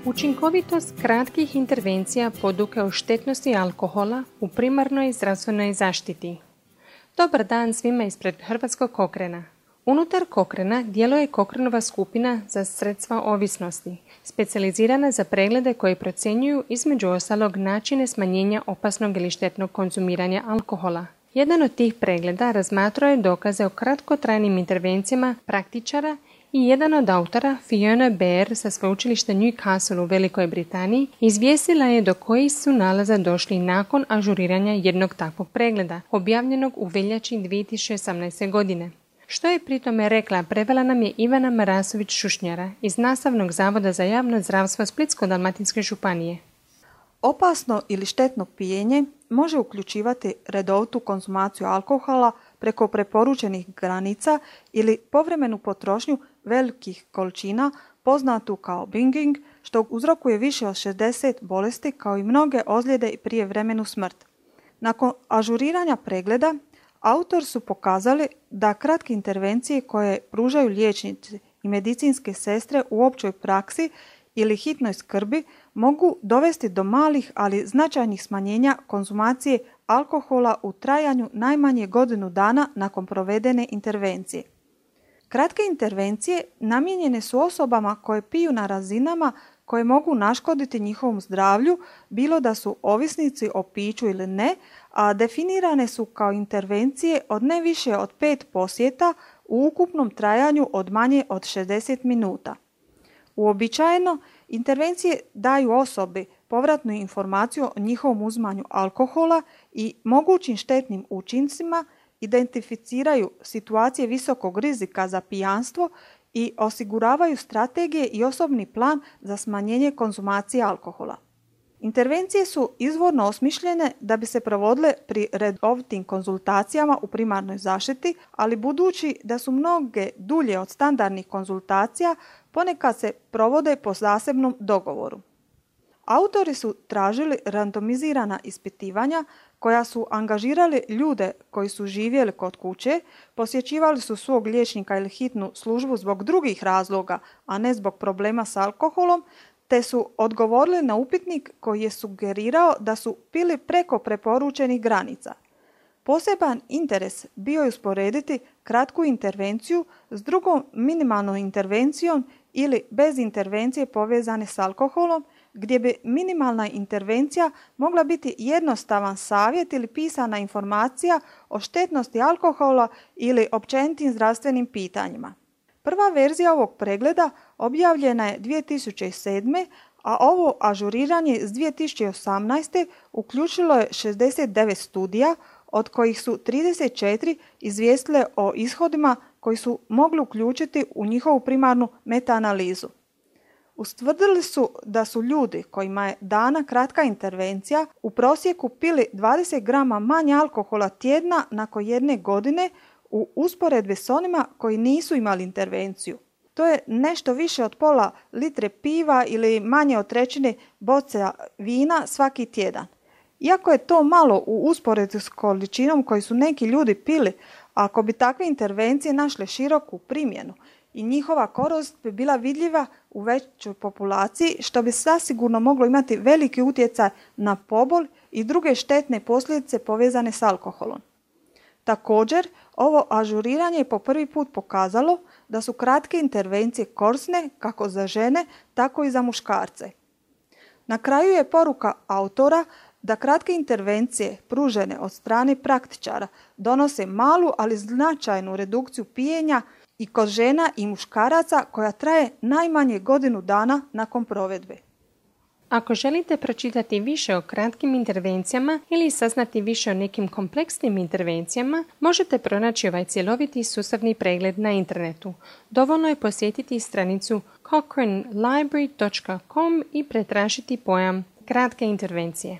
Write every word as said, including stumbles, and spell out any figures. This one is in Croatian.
Učinkovitost kratkih intervencija poduke o štetnosti alkohola u primarnoj zdravstvenoj zaštiti. Dobar dan svima ispred Hrvatskog Cochrana. Unutar Cochrana djeluje Cochranova skupina za sredstva ovisnosti, specijalizirana za preglede koji procjenjuju između ostalog načine smanjenja opasnog ili štetnog konzumiranja alkohola. Jedan od tih pregleda razmatrao je dokaze o kratkotrajnim intervencijama praktičara i jedan od autora, Fiona Bear sa sveučilišta Newcastle u Velikoj Britaniji, izvijestila je do kojih su nalaza došli nakon ažuriranja jednog takvog pregleda, objavljenog u veljači dvije tisuće osamnaeste. godine. Što je pri tome rekla, prevela nam je Ivana Marasović-Šušnjara iz Nastavnog zavoda za javno zdravstvo Splitsko-dalmatinske županije. Opasno ili štetno pijenje može uključivati redovitu konzumaciju alkohola preko preporučenih granica ili povremenu potrošnju velikih količina poznatu kao binging, što uzrokuje više od šezdeset bolesti kao i mnoge ozljede i prijevremenu smrt. Nakon ažuriranja pregleda, autor su pokazali da kratke intervencije koje pružaju liječnici i medicinske sestre u općoj praksi ili hitnoj skrbi mogu dovesti do malih, ali značajnih smanjenja konzumacije alkohola u trajanju najmanje godinu dana nakon provedene intervencije. Kratke intervencije namijenjene su osobama koje piju na razinama koje mogu naškoditi njihovom zdravlju, bilo da su ovisnici o piću ili ne, a definirane su kao intervencije od ne više od pet posjeta u ukupnom trajanju od manje od šezdeset minuta. Uobičajeno, intervencije daju osobi povratnu informaciju o njihovom uzmanju alkohola i mogućim štetnim učincima, identificiraju situacije visokog rizika za pijanstvo i osiguravaju strategije i osobni plan za smanjenje konzumacije alkohola. Intervencije su izvorno osmišljene da bi se provodile pri redovitim konzultacijama u primarnoj zaštiti, ali budući da su mnoge dulje od standardnih konzultacija, ponekad se provode po zasebnom dogovoru. Autori su tražili randomizirana ispitivanja koja su angažirali ljude koji su živjeli kod kuće, posjećivali su svog liječnika ili hitnu službu zbog drugih razloga, a ne zbog problema s alkoholom, te su odgovorili na upitnik koji je sugerirao da su pili preko preporučenih granica. Poseban interes bio je usporediti kratku intervenciju s drugom minimalnom intervencijom ili bez intervencije povezane s alkoholom, gdje bi minimalna intervencija mogla biti jednostavan savjet ili pisana informacija o štetnosti alkohola ili općenitim zdravstvenim pitanjima. Prva verzija ovog pregleda objavljena je dvije tisuće sedme. a ovo ažuriranje iz dvije tisuće osamnaeste. uključilo je šezdeset devet studija, od kojih su trideset četiri izvijestile o ishodima koji su mogli uključiti u njihovu primarnu metaanalizu. Ustvrdili su da su ljudi kojima je dana kratka intervencija u prosjeku pili dvadeset grama manje alkohola tjedna nakon jedne godine u usporedbi s onima koji nisu imali intervenciju. To je nešto više od pola litre piva ili manje od trećine boce vina svaki tjedan. Iako je to malo u usporedbi s količinom koju su neki ljudi pili, ako bi takve intervencije našle široku primjenu i njihova korist bi bila vidljiva u većoj populaciji, što bi zasigurno moglo imati veliki utjecaj na pobol i druge štetne posljedice povezane s alkoholom. Također, ovo ažuriranje je po prvi put pokazalo da su kratke intervencije korisne kako za žene, tako i za muškarce. Na kraju je poruka autora da kratke intervencije pružene od strane praktičara donose malu, ali značajnu redukciju pijenja i kod žena i muškaraca koja traje najmanje godinu dana nakon provedbe. Ako želite pročitati više o kratkim intervencijama ili saznati više o nekim kompleksnim intervencijama, možete pronaći ovaj cjeloviti sustavni pregled na internetu. Dovoljno je posjetiti stranicu cochrane library dot com i pretražiti pojam kratke intervencije.